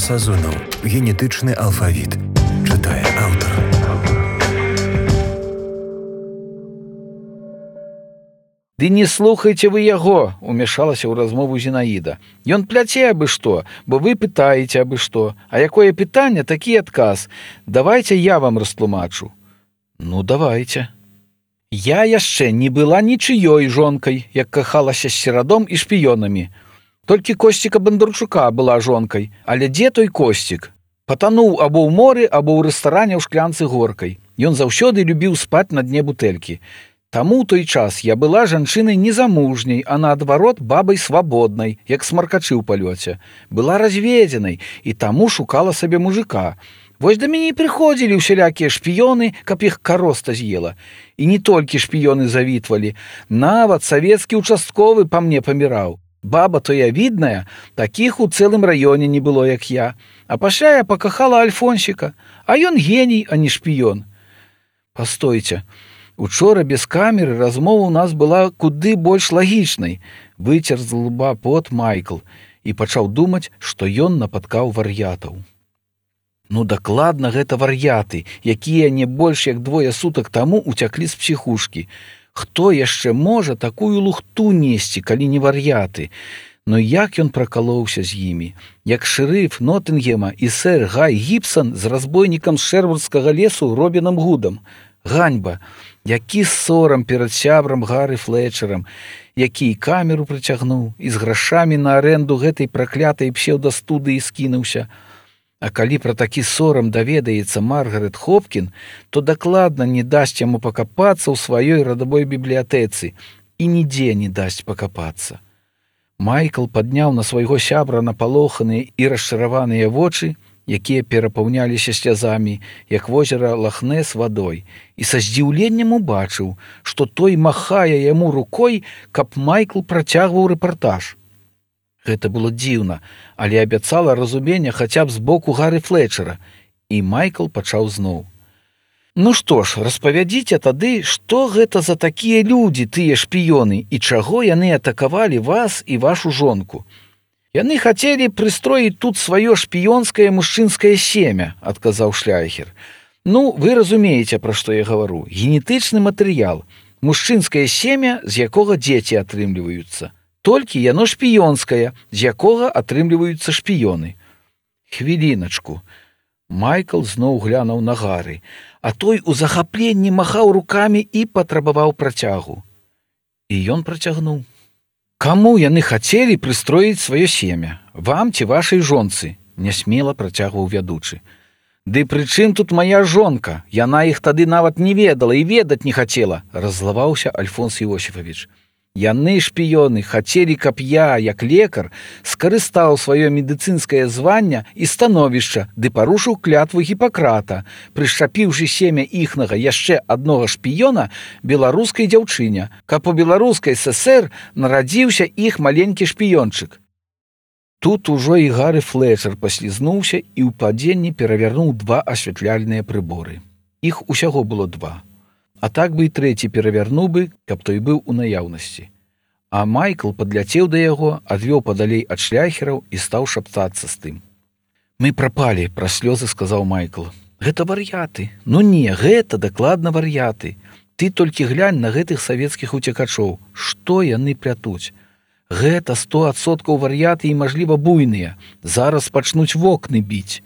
Сазонаў. Генетычны алфавіт. Чытае аўтар. «Ды не слухайце вы яго», — умешалася ў размову Зінаіда. «Ён пляце абы што, бо вы пытаеце абы што. А якое пытанне, такі адказ. Давайце я вам растлумачу». «Ну, давайце». «Я яшчэ не была нічыёй жонкай, як кахалася з серадом і шпіёнамі. Толькі Косціка Бандарчука была жонкай. Але дзе той Косцік? Патануў або ў моры, або ў рэстаране ў шклянцы горкай. Ён заўсёды любіў спаць на дне бутэлькі. Таму ў той час я была жанчынай незамужняй, а наадварот бабай свабоднай, як смаркачы ў палёце. Была разведзенай і таму шукала сабе мужика. Вось да мяне і прыходзілі ўсялякія шпіёны, каб іх кароста з'ела. І не толькі шпіёны завітвалі, нават савецкі участковы па мне паміраў. Баба то я відная, такіх у цэлым раёне не было, як я. А пасля я пакахала Альфонсіка, а ён геній, а не шпіён». «Пастойце, учора без камеры размова ў нас была куды больш лагічнай», — выцер з лба пот Майкл і пачаў думаць, што ён напаткаў вар'ятаў. Ну, дакладна гэта вар'яты, якія не больш як 2 сутак таму уцяклі з псіхушкі. Хто яшчэ можа такую лухту несці, калі не вар'яты? Но як ён пракалоўся з імі? Як шэрыф Ноттынгема і сэр Гай Гібсан з разбойнікам з Шэрвудскага лесу Робінам Гудам. Ганьба! Які сорам перад сябрам Гары Флетчерам, які і камеру прыцягнуў, і з грашамі на арэнду гэтай праклятай псеўдастудыі скінуўся. А калі пра такі сорам даведаецца Маргарет Хопкін, то дакладна не дасць яму пакапацца ў сваёй радавой бібліятэцы і нідзе не дасць пакапацца. Майкл падняў на свайго сябра напалоханыя і расчараваныя вочы, якія перапаўняліся слязамі, як возера Лахнес вадой, і са здзіўленнем убачыў, што той махае яму рукой, каб Майкл працягваў рэпартаж. Гэта было дзіўна, але абяцала разумення хаця б з боку Гары Флетчера, і Майкл пачаў зноў. «Ну што ж, распавядзіце тады, што гэта за такія людзі, тыя шпіёны, і чаго яны атакавалі вас і вашу жонку?» «Яны хацелі прыстроіць тут сваё шпіёнскае мужчынскае семя», — адказаў Шляйхер. «Ну, вы разумееце, пра што я гавару. Генетычны матэрыял, мужчынскае семя, з якога дзеці атрымліваюцца. Толькі яно шпіёнскае, з якога атрымліваюцца шпіёны». «Хвіліначку». Майкл зноў глянуў на Гары, а той у захапленні махаў рукамі і патрабаваў працягу. І ён працягнуў. «Каму яны хацелі прыстроіць сваё семя? Вам ці вашай жонцы?» — нясмела працягваў вядучы. «Ды пры чым тут мая жонка? Яна іх тады нават не ведала і ведаць не хацела», — раззлаваўся Альфонс Іосіфавіч. «Яны, шпіёны, хацелі, каб я, як лекар, скарыстаў сваё медыцынскае звання і становішча ды парушыў клятву Гіпакрата, прышчапіўшы семя іхнага яшчэ аднога шпіёна беларускай дзяўчыне, каб у беларускай ССР нарадзіўся іх маленькі шпіёнчык». Тут ужо і Гары Флетчер паслізнуўся і ў падзенні перавярнуў 2 асвятляльныя прыборы. Іх усяго было 2. А так бы і 3 перавярнуў бы, каб той быў у наяўнасці. А Майкл падляцеў да яго, адвёў падалей ад Шляйхераў і стаў шаптацца з тым. «Мы прапалі», — праз слёзы сказаў Майкл. «Гэта вар'яты. Ну не, гэта дакладна вар'яты. Ты толькі глянь на гэтых савецкіх уцекачоў. Што яны плятуць? Гэта 100% вар'яты і, мажліва, буйныя. Зараз пачнуць вокны біць».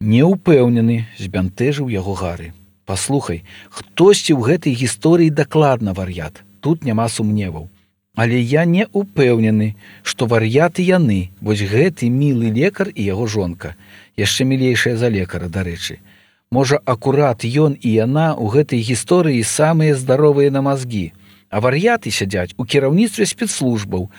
«Не ўпэўнены», — збянтэжыў яго Гары. «Паслухай, хтосьці ў гэтай гісторыі дакладна вар'ят. Тут няма сумневаў. Але я не ўпэўнены, што вар'яты яны, вось гэты мілы лекар і яго жонка. Яшчэ мілейшая за лекара, дарэчы. Можа, акурат ён і яна ў гэтай гісторыі самыя здаровыя на мазгі. А вар'яты сядзяць у кіраўніцтве спецслужбаў.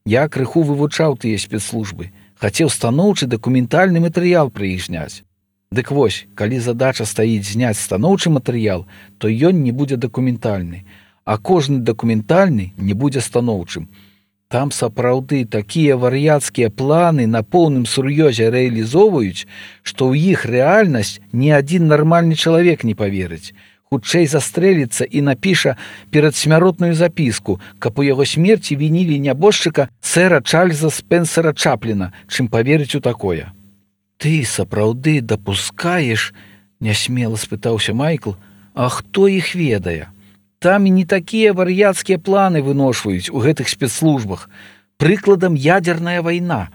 Я крыху вывучаў тыя спецслужбы. Хацеў станоўчы дакументальны матэрыял пра іх зняць. Дык вось, калі задача стаіць зняць станоўчы матэрыял, то ён не будзе дакументальны, а кожны дакументальны не будзе станоўчым. Там сапраўды такія вар'яцкія планы на поўным сур'ёзе рэалізоўваюць, што ў іх рэальнасць ні адзін нармальны чалавек не паверыць. Хутчэй застрэліцца і напіша перадсмяротную запіску, каб у яго смерці вінілі нябожчыка сэра Чарльза Спенсера Чапліна, чым паверыць у такое. Ты сапраўды дапускаеш, нясмела спытаўся Майкл, а хто іх ведае? Там і не такія вар'яцкія планы выношваюць у гэтых спецслужбах. Прыкладам ядерная вайна.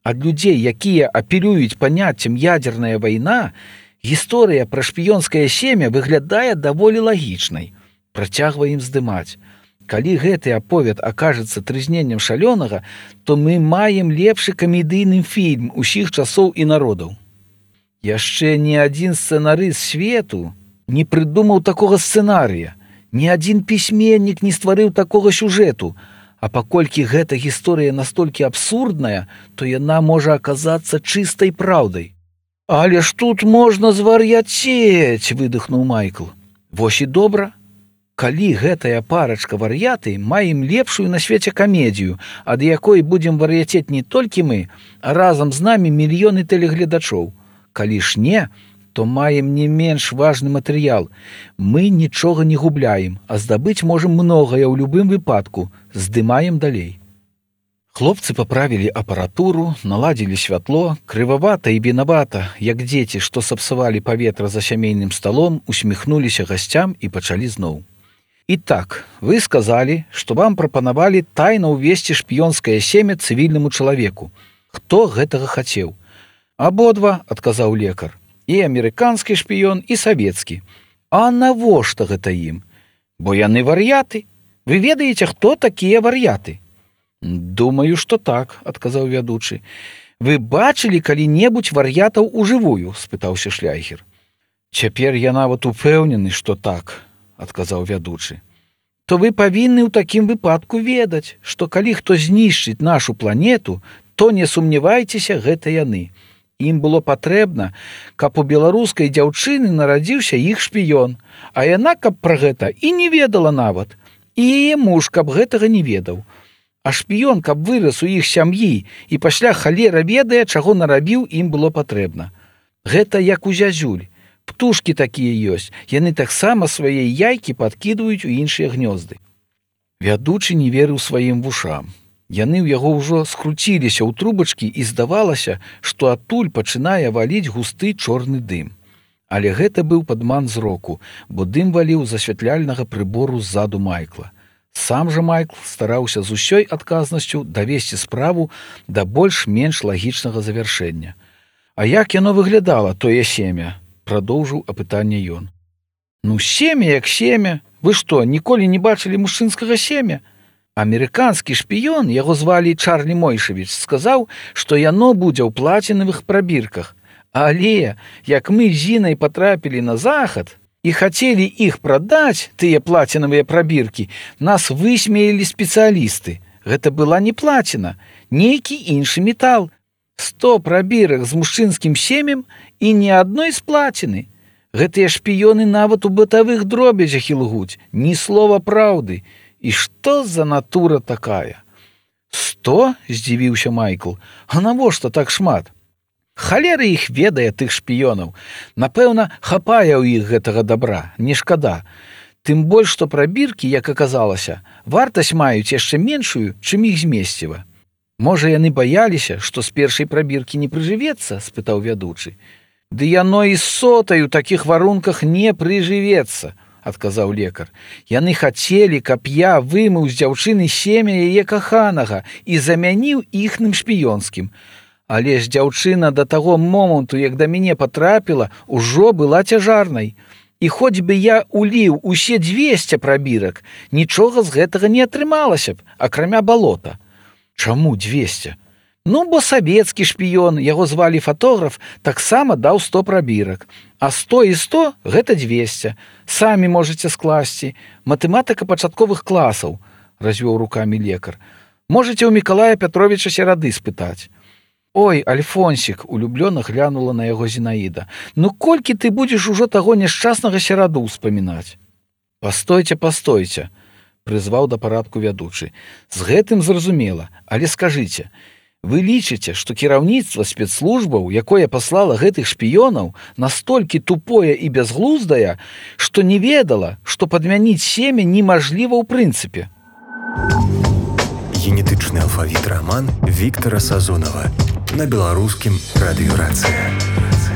Ад людзей, якія апелююць паняццем ядерная вайна, гісторыя пра шпіёнскае семя выглядае даволі лагічнай. Працягваем здымаць. Калі гэты аповед акажацца трызненнем шалёнага, то мы маем лепшы камедыйны фільм усіх часоў і народаў. Яшчэ ні адзін сцэнарыст свету не прыдумаў такога сцэнарыя, ні адзін пісьменнік не стварыў такога сюжэту, а паколькі гэта гісторыя настолькі абсурдная, то яна можа аказацца чыстай праўдай. Але ж тут можна звар'яцець, выдыхнуў Майкл. Вось і добра. Калі гэтая парачка вар'яты, маем лепшую на свеце камедію, ад якой будзем вар'яцець не толькі мы, а разам з намі мільёны тэлегледачоў. Калі ж не, то маем не менш важны матэрыял. Мы нічога не губляем, а здабыць можам многае ў любым выпадку. Здымаем далей. Хлопцы паправілі апаратуру, наладзілі святло, крывавата і вінавата, як дзеці, што сапсавалі паветра за сямейным сталом, усміхнуліся гасцям і пачалі зноў. І так, вы сказалі, што вам прапанавалі тайна ўвесці шпіёнскае семя цывільнаму чалавеку. Хто гэтага хацеў? Абодва, адказаў лекар. І амерыканскі шпіён, і савецкі. А навошта гэта ім? Бо яны вар'яты. Вы ведаеце, хто такія вар'яты? Думаю, што так, адказаў вядучы. Вы бачылі калі-небудзь вар'ятаў ужывую? Спытаўся Шляйхер. Цяпер я нават упэўнены, што так, адказаў вядучы. То вы павінны ў такім выпадку ведаць, што калі хто знішчыць нашу планету, то не сумнявайцеся, гэта яны. Ім было патрэбна, каб у беларускай дзяўчыны нарадзіўся іх шпіён, а яна, каб пра гэта і не ведала нават, і яе муж, каб гэтага не ведаў. А шпіён, каб вырас у іх сям'і і пасля халера ведае, чаго нарабіў, ім было патрэбна. Гэта як у зязюль. Птушкі такія ёсць, яны таксама свае яйкі падкідваюць у іншыя гнёзды. Вядучы не верыў сваім вушам. Яны ў яго ўжо скруціліся ў трубачкі і здавалася, што адтуль пачынае валіць густы чорны дым. Але гэта быў падман зроку, бо дым валіў з асвятляльнага прыбору ззаду Майкла. Сам жа Майкл стараўся з усёй адказнасцю давесці справу да больш-менш лагічнага завяршэння. А як яно выглядала, тое семя? Прадоўжыў апытанне ён. Ну, семя як семя. Вы што, ніколі не бачылі мужчынскага семя? Амерыканскі шпіён, яго звалі Чарлі Мойшавіч, сказаў, што яно будзе ў плацінавых прабірках. Але, як мы з Зінай патрапілі на захад і хацелі іх прадаць, тыя плацінавыя прабіркі, нас высмеялі спецыялісты. Гэта была не плаціна, нейкі іншы метал. 100 прабірак з мужчынскім семем і ні адной з плаціны. Гэтыя шпіёны нават у бытавых дробязях ілгуць, ні слова праўды. І што за натура такая? 100? Здзівіўся Майкл. А навошта так шмат? Халера іх ведае, тых шпіёнаў. Напэўна, хапае ў іх гэтага добра, не шкада. Тым больш, што прабіркі, як аказалася, вартасць маюць яшчэ меншую, чым іх змесціва. Можа, яны баяліся, што з першай прабіркі не прыжывецца, спытаў вядучы. Ды яно і з сотай у такіх варунках не прыжывецца, адказаў лекар. Яны хацелі, каб я вымыў з дзяўчыны семя яе каханага і замяніў іхным шпіёнскім. Але ж дзяўчына да таго моманту, як да мяне патрапіла, ужо была цяжарнай. І хоць бы я уліў усе 200 прабірак, нічога з гэтага не атрымалася б, акрамя балота. Чаму 200? Ну, бо савецкі шпіён, яго звалі фотограф, таксама даў 100 прабірак. А 100 і 100 – гэта 200. Самі можаце скласці. Матэматыка пачатковых класаў, развёў рукамі лекар. Можаце ў Мікалая Пятровіча Серады спытаць. Ой, Альфонсік, улюблёна глянула на яго Зінаіда. Ну, колькі ты будзеш ужо таго няшчаснага Сераду ўспамінаць? Пастойце, пастойце, прызваў да парадку вядучы. З гэтым зразумела, але скажыце, вы лічыце, што кіраўніцтва спецслужбаў, якое паслала гэтых шпіёнаў, настолькі тупое і бязглуздае, што не ведала, што падмяніць семя немажліва ў прынцыпе. Генетычны алфавіт роман Віктора Сазонова. на беларускім радыёрацыі.